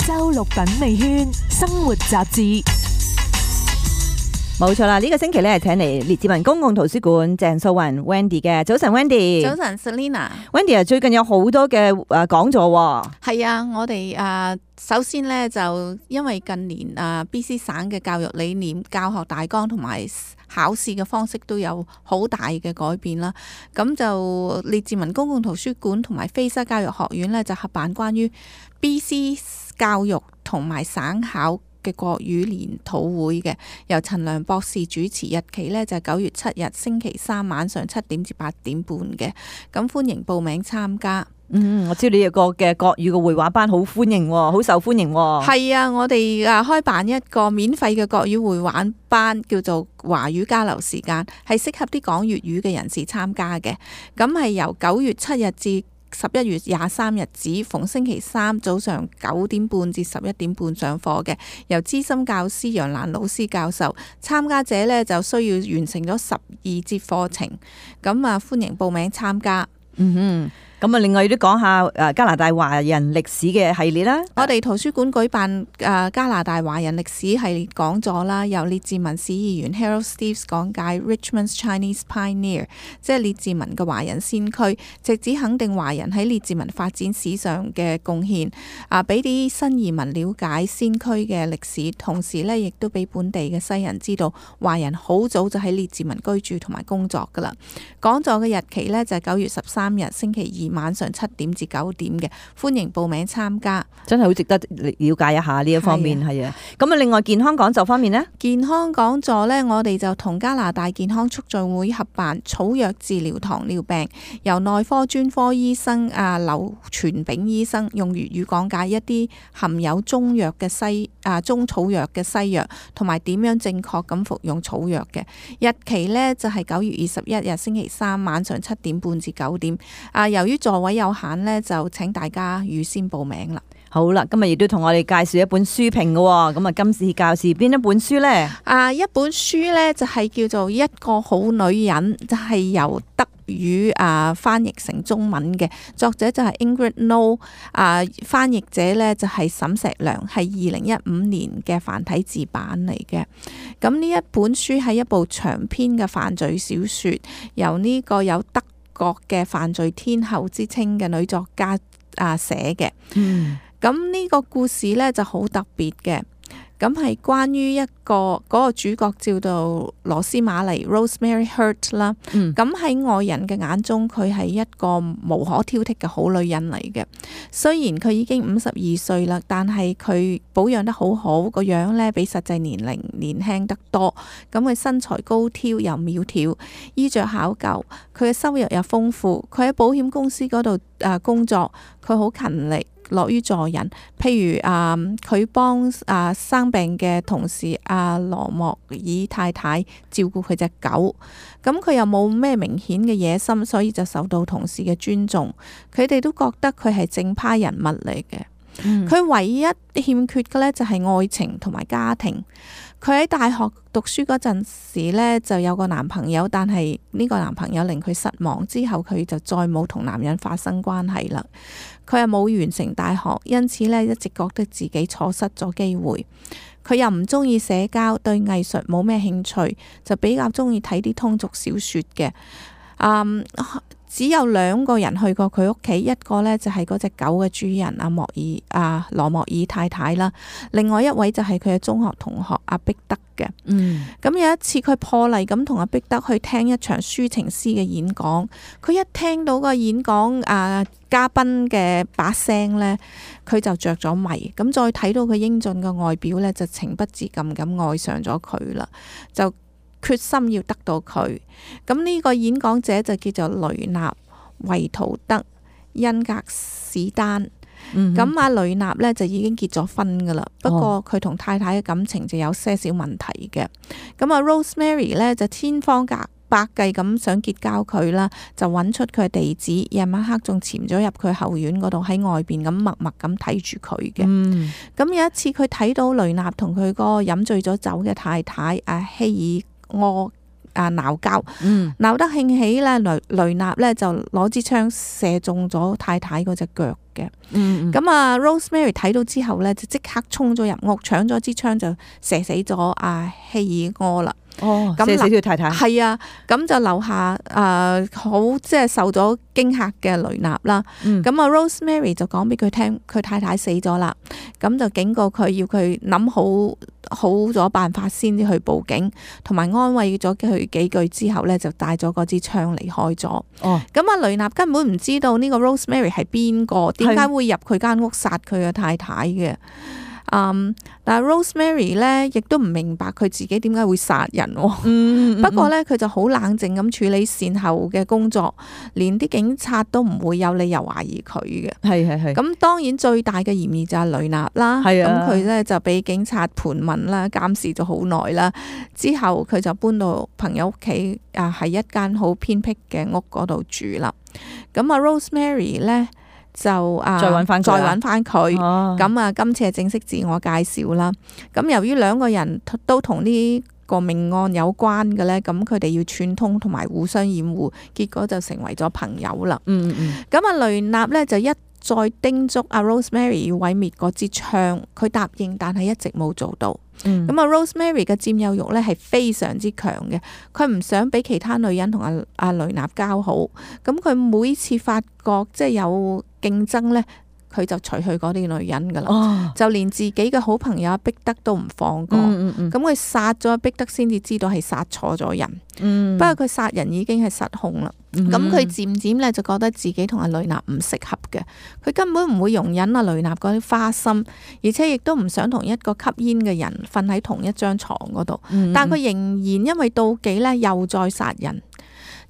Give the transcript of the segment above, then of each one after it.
周六品味圈生活雜誌。冇錯啦，呢個星期咧係請嚟列治文公共圖書館鄭素雲 Wendy 嘅。早晨 Wendy。早晨 Selina。Wendy 啊，最近有好多嘅講座喎。係啊，我哋首先咧就因為近年BC 省嘅教育理念、教學大綱同埋考試嘅方式都有好大嘅改變啦。咁就列治文公共圖書館同埋菲沙教育學院咧就合辦關於 BC 教育同埋省考嘅國語研討會嘅，由陳良博士主持，日期呢就係9月7日星期三晚上7點至8點半嘅，咁歡迎報名參加。我知道你有個嘅國語嘅繪畫班好歡迎，好受歡迎。係啊，我哋開辦一個免費嘅國語繪畫班，叫做華語交流時間，係適合啲講粵語嘅人士參加嘅。咁係由9月7日至11月23日止，逢星期三早上9點半至11點半上課嘅，由資深教師楊蘭老師教授。參加者呢就需要完成咗12節課程，咁歡迎報名參加。咁另外都講下加拿大華人歷史嘅系列啦。我哋圖書館舉辦加拿大華人歷史系列講座啦，由列治文市議員 Harold Steeves 講解 Richmond's Chinese Pioneer， 即係列治文嘅華人先驅，直指肯定華人喺列治文發展史上嘅貢獻，俾啲新移民了解先驅嘅歷史，同時呢亦都俾本地嘅西人知道華人好早就喺列治文居住同埋工作噶啦。講座嘅日期呢就係9月13日星期二晚上7點至9點嘅，歡迎報名參加。真係好值得了解一下呢一方面。係啊，咁另外健康講座方面呢？健康講座呢，我哋就同加拿大健康促進會合辦草藥治療糖尿病，由內科專科醫生劉傳炳醫生用粵語講解一啲含有中藥嘅中草藥嘅西藥，同埋點樣正確咁服用草藥嘅。日期呢就係9月21日星期三晚上7點半至9點。由於座位有限呢，就請大家預先報名啦。好啦，今日亦都同我哋介紹一本書評嘅，咁今次教示邊一本書呢？一本書呢就係叫做《一個好女人》，就係由德語翻譯成中文嘅，作者就係 Ingrid No， 翻譯者呢就係沈石良，係2015年嘅繁體字版嚟嘅。咁呢一本書係一部長篇嘅犯罪小說，由呢個有德國嘅犯罪天后之稱嘅女作家寫嘅。咁呢個故事呢就好特別嘅，咁係關於嗰個主角叫做羅斯瑪麗 Rosemary Hurt 啦。咁喺外人嘅眼中，佢係一個無可挑剔嘅好女人嚟嘅。雖然佢已經52歲啦，但係佢保養得好好，個樣呢比實際年齡年輕得多。咁佢身材高挑又苗條，衣着考究，佢嘅收入又豐富。佢喺保險公司嗰度工作，佢好勤力，樂於助人。譬如佢幫生病嘅同事羅莫爾太太照顧佢隻狗，咁佢又冇咩明顯嘅野心，所以就受到同事嘅尊重。佢哋都覺得佢係正派人物嚟嘅。佢唯一欠缺嘅呢就係愛情同埋家庭。佢喺大學讀書嗰陣時呢就有個男朋友，但係呢個男朋友令佢失望，之後佢就再冇同男人發生關係啦。佢又冇完成大學，因此呢一直覺得自己錯失咗機會。佢又唔中意社交，對藝術冇咩興趣，就比較中意睇啲通俗小說嘅。只有2個人去過佢屋企，一個呢就係嗰隻狗嘅主人羅莫爾太太啦，另外一位就係佢嘅中學同學阿碧德嘅。咁有一次佢破例咁同阿碧德去聽一場抒情詩嘅演講，佢一聽到個演講嘉賓嘅把聲呢，佢就着咗迷。咁再睇到佢英俊嘅外表呢，就情不自禁咁愛上咗佢啦，就決心要得到佢。咁呢個演講者就叫做雷納維圖德恩格史丹。咁阿雷納呢就已經結咗婚噶啦，不過佢同太太嘅感情就有些少問題嘅。咁Rosemary 呢就千方百計咁想結交佢啦，就揾出佢嘅地址，夜晚黑仲潛咗入佢後院嗰度，喺外邊咁默默咁睇住佢嘅。咁有一次佢睇到雷納同佢個飲醉咗酒嘅太太希爾鬧交，嗯鬧得興起咧，雷納咧就攞支槍射中咗太太嗰隻腳嘅。嗯咁Rosemary 睇到之後咧，就即刻衝咗入屋，搶咗支槍就射死咗阿希爾柯啦。哦，咁射死條太太。係啊，咁就留下好即係受咗驚嚇嘅雷納啦。嗯咁Rosemary 就講俾佢聽，佢太太死咗啦，咁就警告佢要佢諗好咗辦法先至去報警，同埋安慰咗佢幾句之後咧，就帶咗嗰支槍離開咗。哦，咁雷納根本唔知道呢個 Rosemary 係邊個，點解會入佢間屋殺佢嘅太太嘅？但係 Rosemary 咧，亦都唔明白佢自己點解會殺人。不過咧，佢就好冷靜咁處理善後嘅工作，連啲警察都唔會有理由懷疑佢嘅。係。咁當然最大嘅嫌疑就係雷納啦。係啊咁佢咧就俾警察盤問啦，監視咗好耐啦。之後佢就搬到朋友屋企，係一間好偏僻嘅屋嗰度住啦。咁Rosemary 咧就再揾翻佢。哦，咁今次係正式自我介紹啦。咁由於兩個人都同呢個命案有關嘅咧，咁佢哋要串通同埋互相掩護，結果就成為咗朋友啦。咁雷納咧就一再叮囑Rosemary 要毀滅嗰支槍，佢答應，但係一直冇做到。咁Rosemary 嘅佔有欲咧係非常之強嘅，佢唔想俾其他女人同阿雷納交好。咁佢每次發覺即係有競爭咧，佢就除去嗰啲女人噶啦。哦，就連自己嘅好朋友碧德都唔放過。咁佢殺咗碧德先至知道係殺錯咗人。不過佢殺人已經係失控啦。咁佢漸漸咧就覺得自己同阿雷納唔適合嘅，佢根本唔會容忍阿雷納嗰啲花心，而且亦都唔想同一個吸煙嘅人瞓喺同一張床嗰度。但佢仍然因為妒忌咧，又再殺人。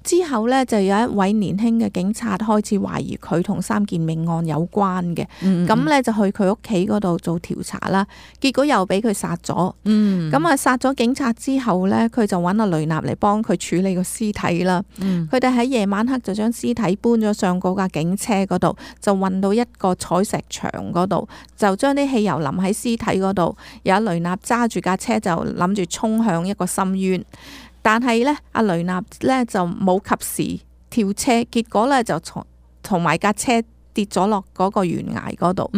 之後呢，就有一位年輕嘅警察開始懷疑佢同3件命案有關嘅，咁呢，就去佢屋企嗰度做調查啦。結果又俾佢殺咗。咁殺咗警察之後呢，佢就揾阿雷納嚟幫佢處理個屍體啦。佢哋喺夜晚黑就將屍體搬咗上嗰架警車嗰度，就運到一個採石場嗰度，就將啲汽油淋喺屍體嗰度。有雷納揸住架車就諗住衝向一個深淵。但係咧，阿雷納咧就冇及時跳車，結果咧就同埋架車跌咗落嗰個懸崖嗰度。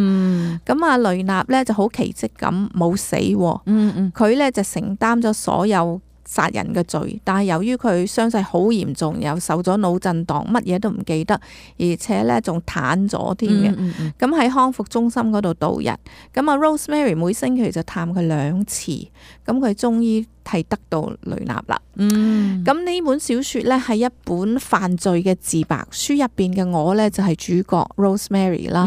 咁阿雷納咧就好奇蹟咁冇死。佢咧就承擔咗所有殺人嘅罪，但係由於佢傷勢好嚴重，又受咗腦震盪，乜嘢都唔記得，而且咧仲癱咗添嘅。咁喺康復中心嗰度度日。咁阿 Rosemary 每星期就探佢2次，咁佢終於係得到雷納啦。咁呢本小說呢係一本犯罪嘅自白書，入邊嘅我呢就係主角 Rosemary 啦。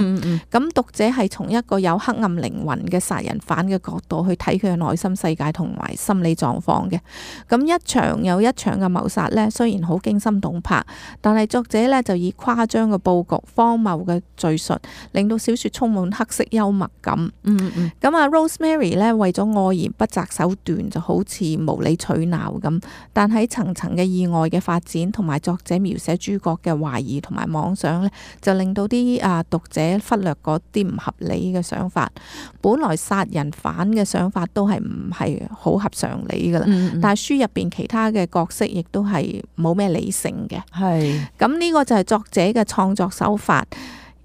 咁讀者係從一個有黑暗靈魂嘅殺人犯嘅角度去睇佢嘅內心世界同埋心理狀況嘅。咁一場又一場嘅謀殺呢，雖然好驚心動魄，但係作者呢就以誇張嘅佈局、荒謬嘅敘述，令到小說充滿黑色幽默感。咁啊 Rosemary 呢為咗愛而不擇手段，就好似無理取鬧咁。但喺層層嘅意外嘅發展，同埋作者描寫主角嘅懷疑同埋妄想呢，就令到啲讀者忽略嗰啲唔合理嘅想法。本來殺人犯嘅想法都係唔係好合常理噶啦。但係書入邊其他嘅角色亦都係冇咩理性嘅。係咁，呢個就係作者嘅創作手法，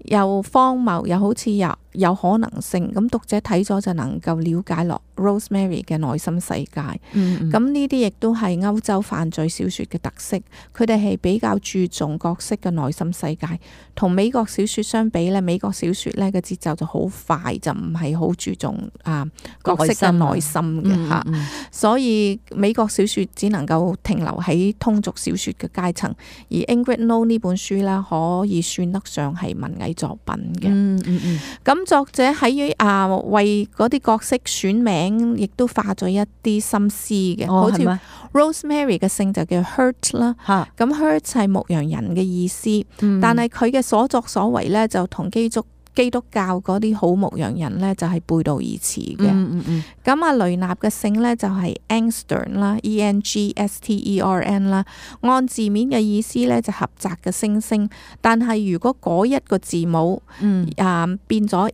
又荒謬又好似有可能性。咁讀者睇咗就能夠了解落 Rosemary 嘅內心世界。咁呢啲亦都係歐洲犯罪小說嘅特色，佢哋係比較注重角色嘅內心世界。同美國小說相比咧，美國小說咧嘅節奏就好快，就唔係好注重角色嘅內心嘅吓。所以美國小說只能夠停留喺通俗小說嘅階層，而 Ingrid No 呢本書咧可以算得上係文藝作品嘅。咁作者喺為嗰啲角色選名，亦都花咗一啲心思嘅。好似 Rosemary 嘅姓就叫 Hurt 啦。咁 Hurt 係牧羊人嘅意思，但係佢嘅所作所為咧就同基督教嗰啲好牧羊人咧就係背道而馳嘅。咁阿雷納嘅姓咧就係 Engstern 啦 ，Engstern 啦。按字面嘅意思咧就狹窄嘅星星，但係如果嗰一個字母變咗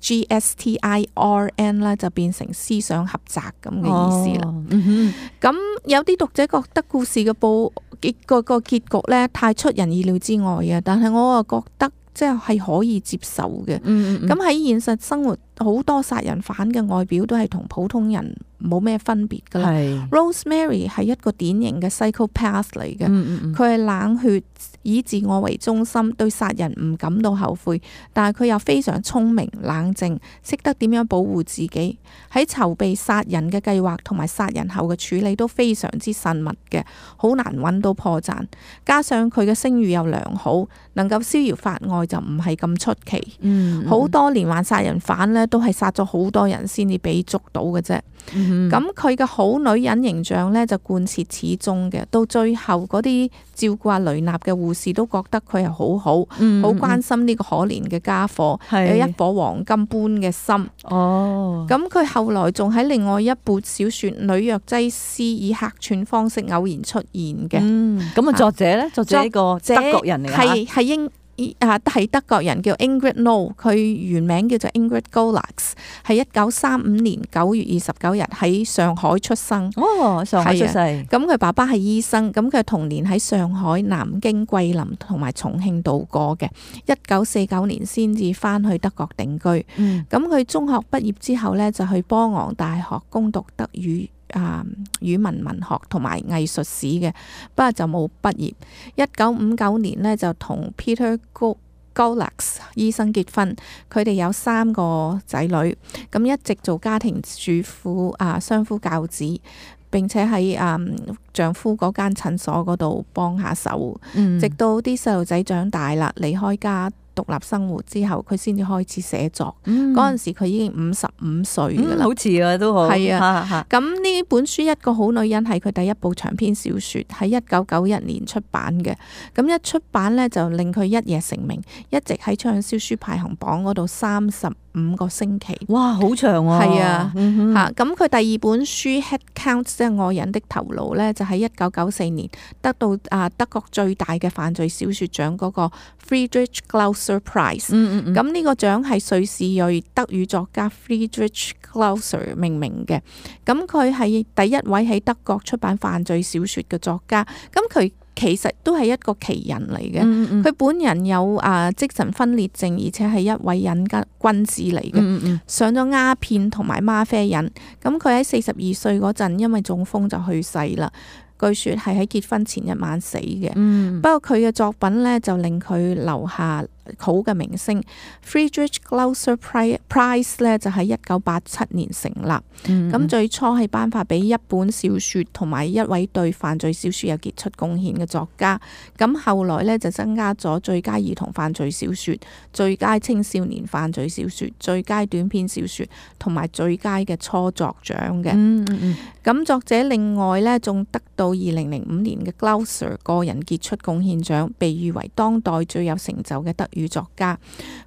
GSTIRN 咧就變成思想狹窄咁嘅意思啦。嗯咁有啲讀者覺得故事嘅個結局咧太出人意料之外啊，但係我又覺得即係可以接受嘅。咁喺現實生活，好多殺人犯嘅外表都係同普通人冇咩分別噶啦。係 Rosemary 係一個典型嘅 psychopath 嚟嘅，佢係冷血，以自我為中心，對殺人唔感到後悔，但係佢又非常聰明冷靜，識得點樣保護自己。喺籌備殺人嘅計劃同埋殺人後嘅處理都非常之慎密嘅，好難揾到破綻。加上佢嘅聲譽又良好，能夠逍遙法外就唔係咁出奇。好多連環殺人犯呢都係殺咗好多人先至俾捉到嘅啫。咁佢嘅好女人形象呢就貫徹始終嘅，到最後嗰啲照顧阿雷納嘅護士都覺得佢係好好，好關心呢個可憐嘅家伙，有一顆黃金般嘅心。哦，咁佢後來仲喺另外一部小說《女藥劑師》以客串方式偶然出現嘅。咁作者呢？作者呢個德國人嚟㗎，係德國人，叫 Ingrid No， 佢原名叫做 Ingrid Golax， 係1935年9月29日喺上海出生。哦，上海出世。咁佢爸爸係醫生，咁佢童年喺上海、南京、桂林同埋重慶度過嘅。1949年先至翻去德國定居。咁佢中學畢業之後呢，就去波昂大學攻讀德語文學同埋藝術史嘅，不過就冇畢業。1959年呢，就同 Peter Golax 醫生結婚，佢哋有3個仔女，咁一直做家庭主婦相夫教子，並且喺丈夫嗰間診所嗰度幫下手，直到啲細路仔長大啦，離開家獨立生活之後，佢先至開始寫作。嗰陣時佢已經55歲噶啦，好似啊都好。係啊，咁呢本書一個好女人係佢第一部長篇小說，喺1991年出版嘅。咁一出版呢，就令佢一夜成名，一直喺暢銷書排行榜嗰度35個星期。哇，好長喎！係啊，咁佢第二本書 Head Count 即係愛人的頭腦呢，就喺1994年得到德國最大嘅犯罪小說獎嗰個 Friedrich Glauser Prize。咁呢個獎係瑞士裔德語作家 Friedrich Glauser 命名嘅。咁佢係第一位喺德國出版犯罪小說嘅作家。咁佢其實都係一個奇人嚟嘅。佢本人有精神分裂症，而且係一位癮君子嚟嘅。上咗鴉片同埋嗎啡癮。咁佢喺42歲嗰陣，因為中風就去世啦。據說係喺結婚前一晚死嘅。不過佢嘅作品呢，就令佢留下好嘅名聲。Friedrich Glauser Prize 呢，就喺1987年成立。咁最初係頒發俾一本小說同埋一位對犯罪小說有傑出貢獻嘅作家。咁後來呢，就增加咗最佳兒童犯罪小說、最佳青少年犯罪小說、最佳短篇小說同埋最佳嘅初作獎嘅。咁作者另外呢，仲得到2005年嘅 Glauser 個人傑出貢獻獎，被譽為當代最有成就嘅德語作家。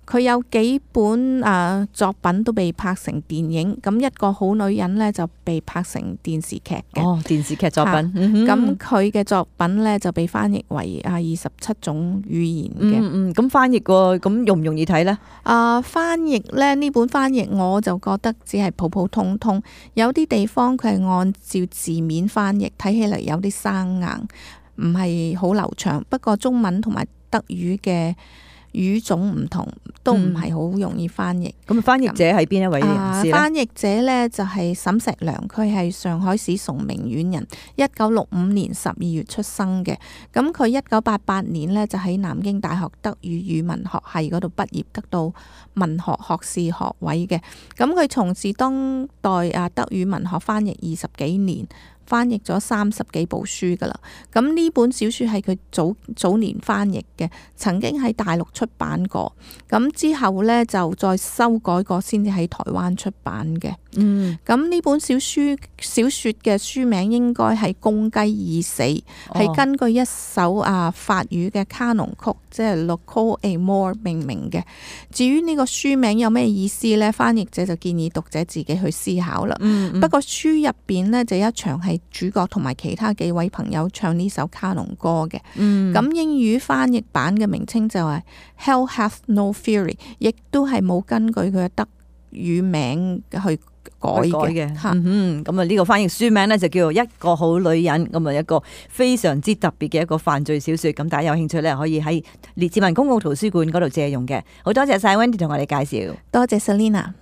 佢有幾本作品都被拍成電影，咁一個好女人呢，就被拍成電視劇嘅。電視劇作品。咁佢嘅作品呢，就被翻譯為27種語言嘅。咁翻譯喎，咁容唔容易睇呢？翻譯呢，呢本翻譯我就覺得只係普普通通，有啲地方佢係按照字面翻譯，睇起嚟有啲生硬，唔係好流暢。不過中文同埋德語嘅語種唔同，都唔係好容易翻譯。咁翻譯者係邊一位人士咧？翻譯者呢就係沈石良，佢係上海市崇明縣人，1965年12月出生嘅。咁佢1988年呢就喺南京大學德語語文學系嗰度畢業，得到文學學士學位嘅。咁佢從事當代德語文學翻譯20幾年。翻譯咗30幾部書噶啦，咁呢本小說係佢早年翻譯嘅，曾經喺大陸出版過，咁之後呢，就再修改過，先至喺台灣出版嘅。咁呢本小說嘅書名應該係《公雞已死》，係根據一首法語嘅卡農曲，即係 Le Col Amour 命名嘅。至於呢個書名有咩意思呢？翻譯者就建議讀者自己去思考啦。不過書入邊呢，就一場係主角同埋其他幾位朋友唱呢首卡農歌嘅。咁英語翻譯版嘅名稱就係 Hell Hath No Fury， 亦都係冇根據佢嘅語名去改嘅嚇。咁啊呢個翻譯書名咧就叫做《一個好女人》，咁啊一個非常之特別嘅一個犯罪小說。咁大家有興趣咧，可以喺列治文公共圖書館嗰度借用嘅。好多謝晒 Wendy 同我哋介紹，多謝 Selina。